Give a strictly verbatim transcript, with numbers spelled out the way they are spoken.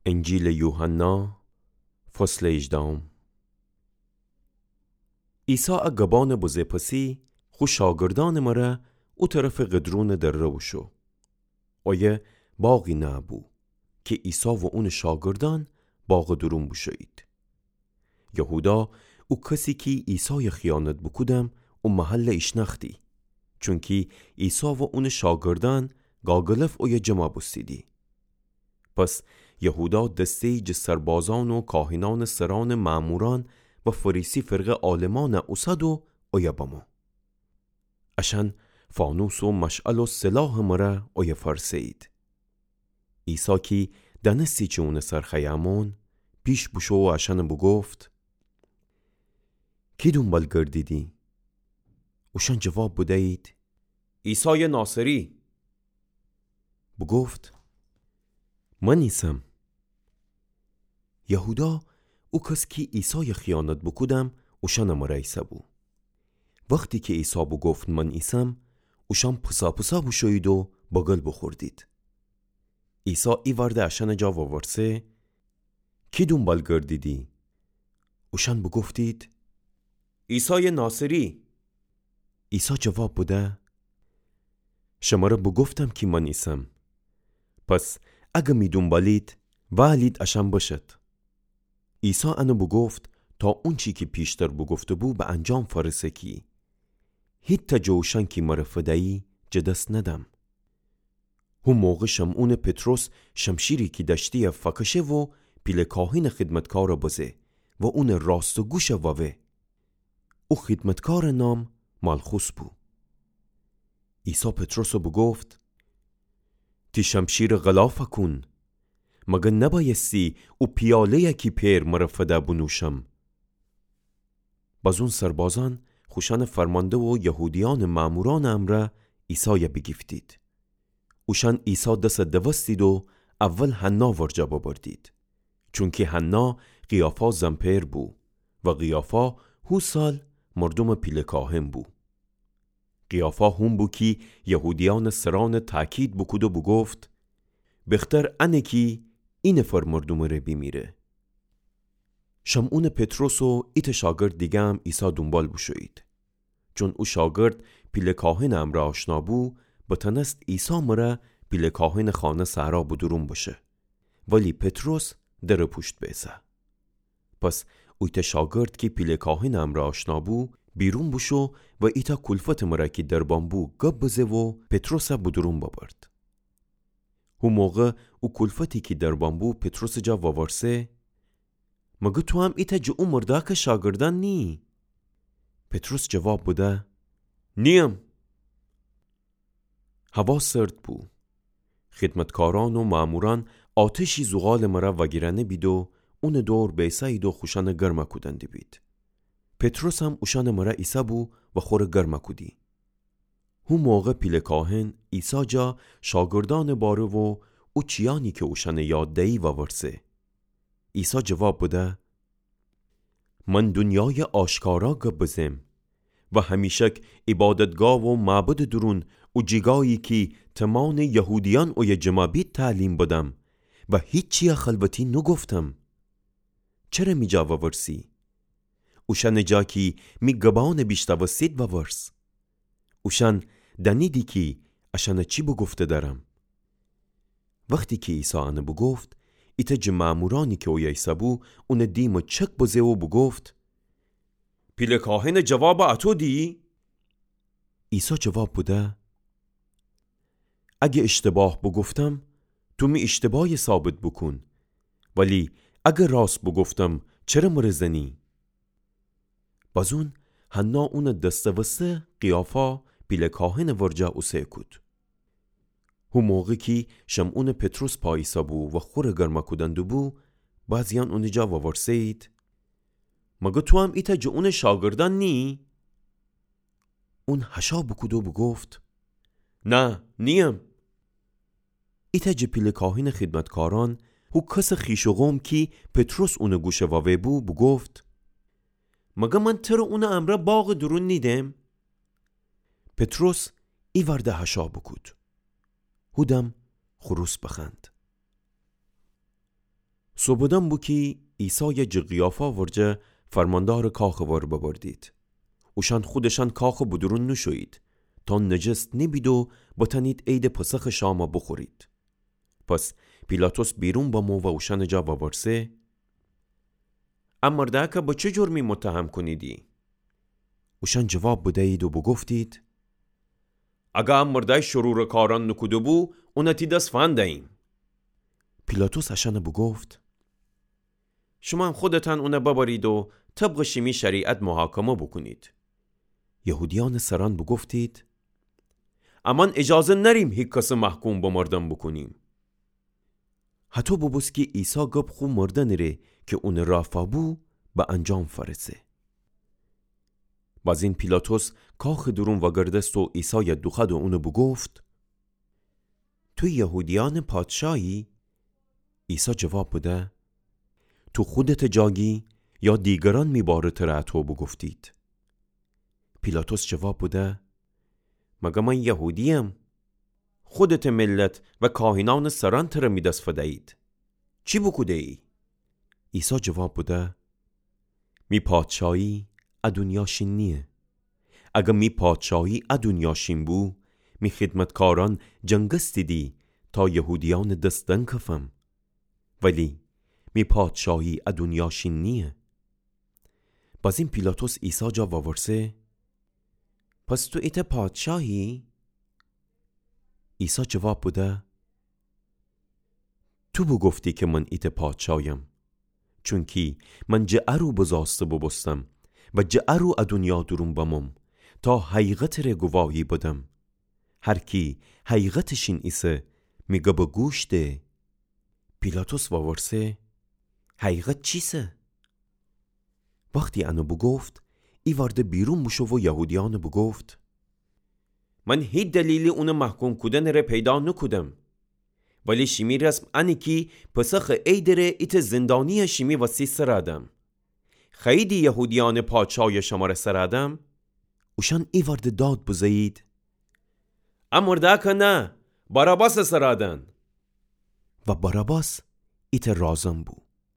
انجیلٚ یوحنا، فصلٚ هیجدهم. عیسی ا گبأنٚ بزه پسی خو شاگردأنٚ مره او طرفٚ قدرونٚ دره بوشو. اویه باغی نأبو کی عیسی و اونٚ شاگردأن باغٚ دورون بوشویید. یهودا، او کسی کی عیسای خیانت بوکودم، او محل ایشنأختی، چونکی عیسی و اونٚ شاگردأن گاگلف اویه جمع بوستیدی. پس یهودا دسته‌یی جٚه سربازأن و کاهنأنٚ سرأنٚ مأمورأن و فریسی فرقه عالمأن اوسد و اویه بمو. اشأن فانوس و مشعل و سلاحٚ مره اویه فرسه‌یید. عیسی کی دأنستی چی اونٚ سر خوأیه أمون، پیش بوشو و اشأن بوگفت: کی دونبال گردیدی؟ اوشأن جواب بدیید: عیسای ناصری. بوگفت: من ایسم. یهودا، او کس کی عیسای خیانت بوکودم، اوشأنٚ مره ایسه‌بو. وختی کی عیسی بوگفت: من ایسم، اوشأن پساپسا بوشویید و بگل بوخوردید. عیسی ایوأرده اشأنٚ جا وورسه: کی دونبال گردیدی؟ اوشأن بوگفتید: عیسای ناصری. عیسی جواب بده: شمره بوگفتم کی من ایسم. پس اگر می دونبالید، وألید اشأن بشد. عیسی انه بوگفت تا اونچی کی پیشتر بوگفته‌بو به انجام فأرسه کی: هیتأ جٚه اوشأن کی مره فدیی جٚه دس ندم. هو موقع شمعونٚ پطرس شمشیری کی دأشتی‌یه فکشه و پیله کاهنٚ خدمتکار بزه و اونٚ راستٚ گوش ووه. او خدمتکارٚ نام مالخوس بو. عیسی پطرس بوگفت: تی شمشیر غلاف کون. مگر نبأیستی او پیاله‌یه کی پئر مره فده بونوشم؟ بزون سربازأن خوشأنٚ فرمانده و یهودیأنٚ مأمورأنٚ امرأ عیسای بیگیفتید. اوشأن عیسی دس دوستید و اول حنا ورجه ببردید، چونکی حنا قیافا زن‌پئر بو و قیافا هو سال مردومٚ پیله کاهن بو. قیافا هون بو کی یهودیأنٚ سرأن تأکید بوکود و بوگفت: بختر انه کی ای نفر مردومٚ ره بیمیره. شمعونٚ پطرس و ایتأ شاگرد دیگه‌م عیسی دونبال بوشویید. چون او شاگرد پیله کاهنٚ امرأ آشنا بو، بتأنست عیسی مره پیله کاهنٚ خانه صحرا به دورون بشه. ولی پطرس درٚ پوشت بیسه. پس اویتأ شاگرد کی پیله کاهنٚ امرأ آشنا بو، بیرون بوشو و ایتأ کولفتٚ مره کی دربان بو گب بزه و پطرس به دورون ببرد. هو موقع او کولفتی کی دربان بو پطرسٚ جا وورسه: مگر تو هم ایتأ جٚه او مردأکٚ شاگردأن نییی؟ پطرس جواب بده: نییم. هوا سرد بو. خدمتکارأن و مأمورأن آتشی زغالٚ مره وأگیرأنه بید و اونٚ دور بیسه‌یید و خوشأن گرم کودن دیبید. پطرس هم اوشأنٚ مره ایسه‌بو و خوره گرم کودی. هو موقع پیله کاهن عیسی جا شاگردأنٚ باره و او چیأنی کی اوشأنٚ یاد دیی وورسه. عیسی جواب بده: من دونیای آشکارا گب بزم و همیشک عبادتگاه و معبدٚ دورون او جیگایی کی تمانٚ یهودیأن اویه جمع بید تعلیم بدم و هیچی‌یه خلوتی نوگفتم. چره می جا وورسی؟ اوشأنٚ جا کی می گبأن بیشنوستید وورس. اوشأن دأنیدی کی اشأن چی بوگفته دأرم. وختی کی عیسی انه بوگفت، ایتأ جٚه مأمورأنی کی اویه ایسه‌بو، اونٚ دیمٚ چک بزه و بوگفت: پیله کاهنٚ جواب اتو دییی؟ عیسی جواب بده: اگه اشتباه بوگفتم، تو می اشتباهی ثابت بوکون. ولی اگه راست بوگفتم، چره مره زنی؟ بزون حنا اونٚ دسته‌وسته قیافا پیله کاهنٚ ورجه اوسه کود. هو موقع کی شمعونٚ پطرس پا ایسه‌بو و خوره گرم کودن دوبو، بعضیأن اونٚ جا وورسه‌یید: مگر تو هم ایتأ جٚه اونٚ شاگردأن نییی؟ اون هشا بوکود و بوگفت: نه، نییم. ایتأ جٚه پیله کاهنٚ خدمتکارأن، هو کسٚ خویش و قوم کی پطرس اونٚ گوش ووه بو، بوگفت: مگر من تره اونٚ امرأ باغٚ دورون نیدم؟ پطرس ایوأرده هشا بوکود. هودم خروس بخوأند. سوبدأن بو کی عیسای جٚه قیافا ورجه فرماندارٚ کاخٚ ور ببردید. اوشأن خودشأن کاخٚ بدورون نوشویید، تا نجست نبید و بتأنید عیدٚ پسخٚ شام بوخورید. پس پیلاطس بیرون بمو و اوشأنٚ جا وورسه: ا مردأکه به چه جرمی متهم کونیدی؟ اوشأن جواب بدیید و بوگفتید: اگر ا مردأی شرورٚ کارأن نوکوده‌بو، اون تی دس فندییم. پیلاطس اشأن بوگفت: شومأن خودتأن اون ببرید و طبقٚ شیمی شریعت محاکمه بوکونید. یهودیأنٚ سرأن بوگفتید: امأن اجازه نأریم هیکسٚ محکوم بمردن بوکونیم. هطو بوبوست کی عیسی گب خو مردنٚ ره کی اونٚ رافا بو، به انجام فأرسه. بازین پیلاطس کاخٚ دورون وأگردست و عیسای دوخوأد و اون بوگفت: تو یهودیأنٚ پادشاهی؟ عیسی جواب بده: تو خودتٚ جا گی یا دیگرأن می بارٚ تر هطو بوگفتید؟ پیلاطس جواب بده: مگر من یهودییم؟ خودتٚ ملت و کاهنأنٚ سرأن تر می دس فدیید. چی بوکوده‌یی؟ عیسی جواب بده: می پادشاهی ا دونیا شین نییه. اگر می پادشاهی ا دونیا شین بو، می خدمتکارأن جنگستیدی تا یهودیأنٚ دس دنکفم. ولی می پادشاهی ا دونیا شین نییه. بازین پیلاطس عیسی جا وورسه: پس تو ایتأ پادشاهی؟ عیسی جواب بده: تو بوگفتی کی من ایتأ پادشاهیم، چونکی من جٚه ا رو بزاسته بوبوستم و جٚه ا رو ا دونیا دورون بموم، تا حقیقتٚ ره گواهی بدم. هر کی حقیقتٚ شین ایسه، می گب گوش ده. پیلاطس وورسه: حقیقت چیسه؟ وختی ان بوگفت، ایوأرده بیرون بوشو و یهودیأن بوگفت: من هیچ دلیلی اونٚ محکوم کودنٚ ره پیدا نوکودم. ولی شیمی رسم انه کی پسخٚ عیدٚ ره ایتأ زندانی شیمی وسی سرأدم. خوأییدی یهودیأنٚ پادشاهی شمره سرأدم؟ اوشأن ایوأرده داد بزه‌یید: ا مردأکه نه، باراباس سرأدن. و باراباس ایتأ رازن بو.